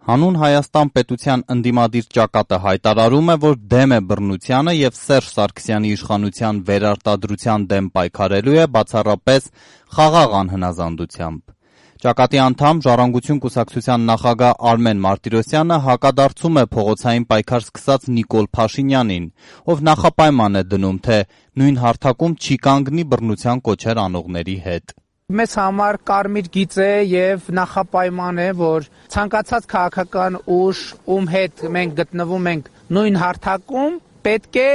Հանուն Հայաստան պետության ընդդիմադիր ճակատը հայտարարում է, որ դեմ է բռնությանը և Սերժ Սարգսյանի իշխանության վերարտադրության դեմ պայքարելու է բացառապես խաղաղ անհնազանդությամբ։ Ճակատի անդամ Ժառանգություն կուսակցության նախագահ Արմեն Մարտիրոսյանը հակադարձում է փողոցային պայքար սկսած Նիկոլ Փաշինյանին, ով նախապայման է դնում, թե նույն հարթակում չի կանգնի բռնության կոչեր անողների հետ։ Մեզ համար կարմիր գիծ է և նախապայման է, որ ցանկացած քաղաքական ուժ, ում հետ մենք գտնվում ենք նույն հարթակում, պետք է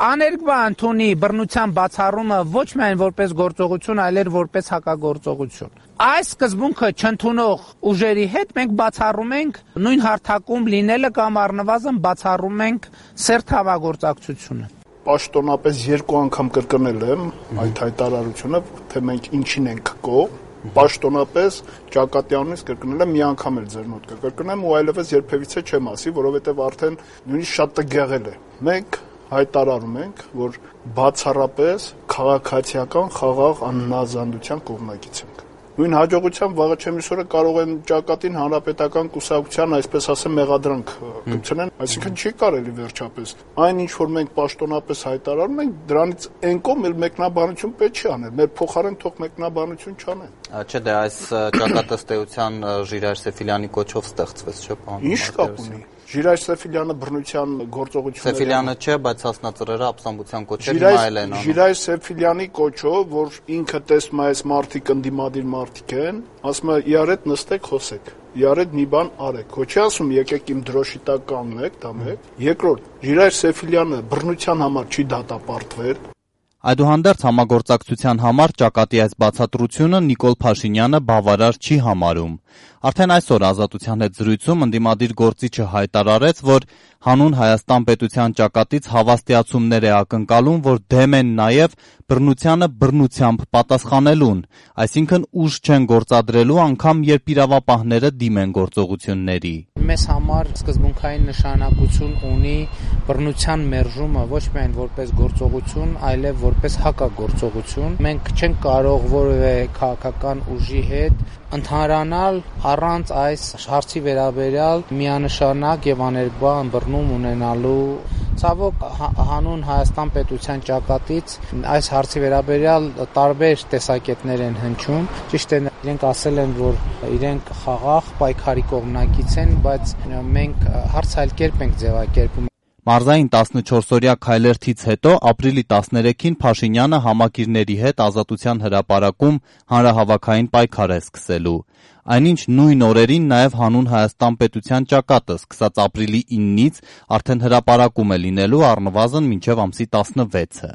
աներկբա ընդունի բռնության բացառումը ոչ միայն որպես գործողություն, այլ որպես հակագործողություն։ Այս սկզբունքը չընդունող ուժերի հետ մենք բացառում ենք նույն հարթակում լինելը կամ առնվազն բացառում ենք սերտ համագործակցությունը։ Պաշտոնապես 2 անգամ կրկնել եմ այդ հայտարարությունը, թե մենք ինչին ենք կողմ, պաշտոնապես ճակատի անունից կրկնել եմ, մի անգամ էլ ձեր մոտ կկրկնեմ ու այլևս երբևիցե չեմ ասի, որովհետև արդեն նույնիսկ շատ տգեղել է։ Մենք հայտարարում ենք, որ բացառապես քաղաքացիական խաղաղ անհնազանդության կողմնակից ենք։ Նույն հաջողությամբ վաղը չեմ իսօրը կարող են ճակատին հանրապետական կուսակցության, այսպես ասեմ, մեղադրանք գցեն, այսինքն չի կարելի վերջապես։ Այն ինչ որ մենք պաշտոնապես հայտարարում ենք, դրանից այն կողմ էլ մեկնաբանություն պետք չի անել, մեր փոխարեն թող մեկնաբանություն չանեն։ Չէ, դե այս ճակատը ըստ էության Ժիրայր Սեֆիլյանի կոչով ստեղծվեց, չէ՞, պարոն։ Ինչ կապ ունի։ Ժիրայր Սեֆիլյանը բռնության գործողությունները Սեֆիլյանը չէ, բայց հասնածռերը ապստամբության կոչեր հիմա էլ են անում։ Ժիրայր Սեֆիլյանի կոչով, որ ինքը տեսնում է այս մարդիկ ընդդիմադիր մարդիկ են, ասում է իրար հետ նստեք, խոսեք։ Իրար հետ մի բան արեք։ Ոչ չի ասում եկեք իմ դրոշի տակ կանգնեք, դա մեկ։ Երկրորդ, Ժիրայր Սեֆիլյանը բռնության համար չի դատապարտվել։ Այդուհանդերձ համագործակցության համար ճակատի այս բացատրությունը Նիկոլ Փաշինյանը բավարար չի համարում։ Արդեն այսօր Ազատության հետ զրույցում ընդդիմադիր գործիչը հայտարարեց, որ հանուն Հայաստան պետության ճակատից հավաստիացումներ է ակնկալում, որ դեմ են նաև բռնությանը բռնությամբ պատասխանելուն, այսինքն ուժ չեն գործադրելու անգամ երբ իրավապահները դիմեն գործողությունների։ Մեզ համար սկզբունքային նշանակություն ունի բռնության մերժումը ոչ միայն որպես գործողություն, այլև որպես հակագործողություն։ Մենք չենք կարող որևէ քաղաքական ուժի հետ ընդհանրանալ առանց այս հարցի վերաբերյալ միանշանակ եւ աներկբա ըմբռնում ունենալու։ Ցավոք հանուն Հայաստան պետության ճակատից այս հարցի վերաբերյալ տարբեր տեսակետներ են հնչում։ Ճիշտ է, իրենք ասել են, որ իրենք խաղաղ պայքարի կողմնակից են, բայց մենք հարց այլ կերպ ենք ձևակերպում։ Մարզային 14-օրյա քայլերթից հետո ապրիլի 13-ին Փաշինյանը համակիրների հետ Ազատության հրապարակում հանրահավաքային պայքար է սկսելու։ Այնինչ նույն օրերին նաև հանուն Հայաստան պետության ճակատը սկսած ապրիլի 9-ից արդեն հրապարակում է լինելու առնվազն մինչև ամսի 16-ը։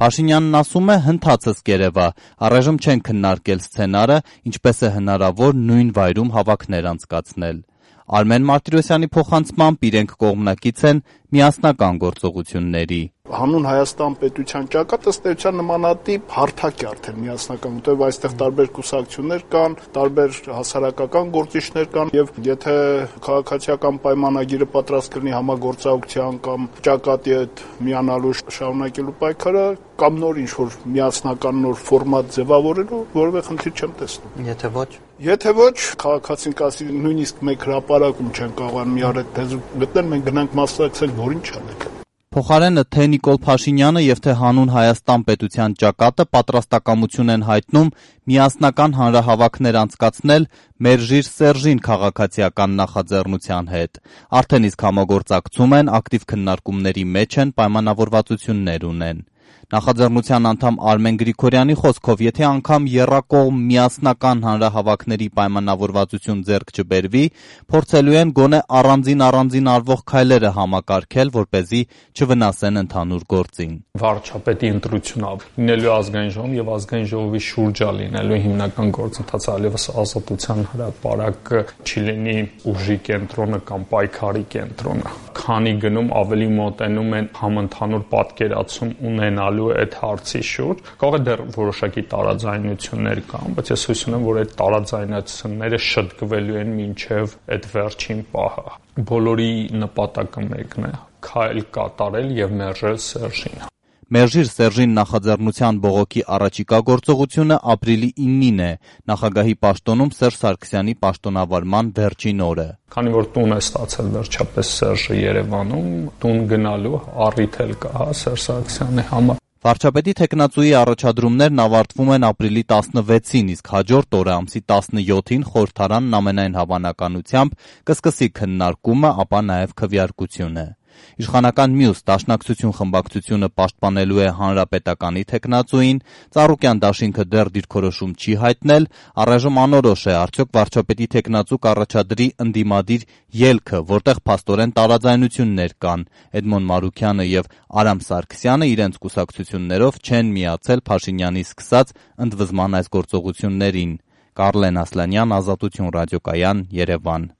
Փաշինյանն ասում է հնդածս կերևա, առայժմ չեն քննարկել սցենարը, ինչպես է հնարավոր նույն վայրում հավաքներ անցկացնել։ Արմեն Մարտիրոսյանի փոխանցմամբ իրենք կողմնակից են միասնական գործողությունների։ Հանուն Հայաստան պետության ճակատը ըստ էության նմանատիպ հարթակ է արդեն միասնական, որտեղ այստեղ տարբեր կուսակցություններ կան, տարբեր հասարակական գործիչներ կան, եւ եթե քաղաքացիական պայմանագիրը պատրաստ կլինի համագործակցության կամ ճակատի հետ միանալու շարունակելու պայքարը, կամ նոր ինչ-որ միասնական նոր ֆորմատ ձևավորելու, որևէ խնդիր չեմ տեսնում։ Եթե ոչ, քաղաքացին կասի նույնիսկ մեկ հրապարակում չեն կարող մի արդ թեզ գտնել, մենք գնանք մասնակցենք, որին չանենք։ Փոխարենը թե Նիկոլ Փաշինյանը եւ թե հանուն Հայաստան պետության ճակատը պատրաստակամություն են հայտնում միասնական հանրահավաքներ անցկացնել Մերժիր Սերժին քաղաքացիական նախաձեռնության հետ։ Արդեն իսկ համագործակցում են, ակտիվ քննարկումների մեջ են, պայմանավորվածություններ ունեն։ Նախաձեռնության անդամ Արմեն Գրիգորյանի խոսքով, եթե անգամ եռակողմ միասնական հանրահավաքների պայմանավորվածություն ձեռք չբերվի, փորձելու են գոնե առանձին արվող քայլերը համակարգել, որպեսզի չվնասեն ընդհանուր գործին։ Վարչապետի ընտրությունը լինելու ազգային ժողովում եւ ազգային ժողովի շուրջը լինելու հիմնական գործընթացը այլևս Ազատության հրապարակը չի լինի ուժի կենտրոնը կամ պայքարի կենտրոնը։ Քանի գնում ավելի մոտենում են համընդհանուր պատկերացում ունենալու այդ հարցի շուրջ, կարող է դեռ որոշակի տարաձայնություններ կան, բայց ես հույս ունեմ, որ այդ տարաձայնությունները շտկվելու են մինչև այդ վերջին պահը։ Բոլորի նպատակը մեկն է՝ քայլ կատարել եւ մերժել Սերժին։ Մերժիր Սերժին նախաձեռնության բողոքի առաջիկա գործողությունը ապրիլի 9-ին է, նախագահի պաշտոնում Սերժ Սարգսյանի պաշտոնավարման վերջին օրը։ Քանի որ տուն է ստացել վերջապես Սերժը Երևանում, տուն գնալու առիթ էլ կա Սերժ Սարգսյանի համար։ Վարչապետի թեկնածուի առաջադրումներն ավարտվում են ապրիլի 16-ին, իսկ հաջորդ օրը ամսի 17-ին խորհրդարանն ամենայն հավանականությամբ կսկսի քննարկումը, ապա նաև քվեարկությունը։ Իշխանական մյուս Դաշնակցություն խմբակցությունը պաշտպանելու է Հանրապետականի թեկնածուին, Ծառուկյան դաշինքը դեռ դիրքորոշում չի հայտնել, առայժմ անորոշ է արդյոք վարչապետի թեկնածու կառաջադրի ընդդիմադիր ելքը, որտեղ փաստորեն տարաձայնություններ կան։ Էդմոն Մարուքյանը եւ Արամ Սարգսյանը իրենց կուսակցություններով չեն միացել Փաշինյանի սկսած ընդվզման այս գործողություններին։ Կարլեն Ասլանյան, Ազատություն ռադիոկայան, Երևան։